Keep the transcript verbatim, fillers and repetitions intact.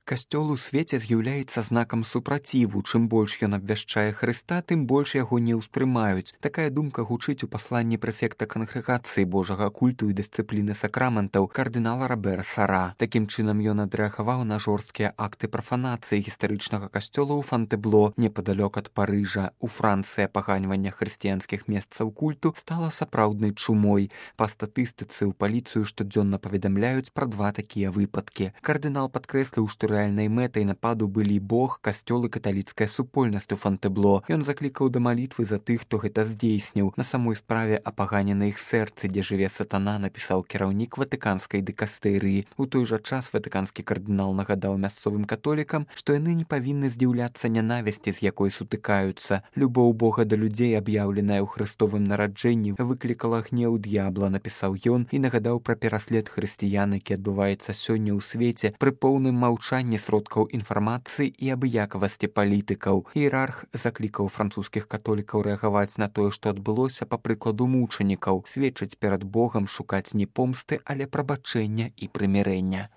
Касцёл у свеце з'яўляецца знакам супраціву. Чым больш ён абвяшчае Хрыста, тым больш яго не ўспрымаюць. Такая думка гучыць у пасланні прэфекта кангрэгацыі Божага культу і дысцыпліны сакраментаў кардынала Робера Сара. Такім чынам ён адрэагаваў на жорсткія акты прафанацыі гістарычнага касцёла ў Фонтебло, непадалёк ад Парыжа. У Францыі апаганьвання хрысціянскіх месцаў культу стала сапраўднай чумой. Па статыстыцы ў паліцыю штодзённа паведамляюць пра два такія выпадкі. Кардынал падкрэсліў, што рэальнай мэтай нападу былі Бог, касцёл і каталіцкая супольнасць у Фонтебло. Ён заклікаў да малітвы за тых, хто гэта здзейсніў. На самой справе апаганена іх сэрцы, дзе жыве сатана, напісаў кіраўнік ватыканскай дыкастэрыі. У той жа час ватыканскі кардынал нагадаў мясцовым католікам, што яны не павінны здзіўляцца нянавісці, з якой сутыкаюцца. Любоў Бога да людзей, аб'яўленая ў хрыстовым нараджэнні, выклікала гнеў д'ябла, напісаў ён і нагадаў пра пераслед хрысціян, які адбываецца сёння ў свеце пры поўным маўчанні сродкаў інфармацыі і абыякавасці палітыкаў. Іерарх заклікаў французскіх католікаў рэагаваць на тое, што адбылося па прыкладу мучанікаў, сведчыць перад Богам, шукаць не помсты, але прабачэння і прымірэння.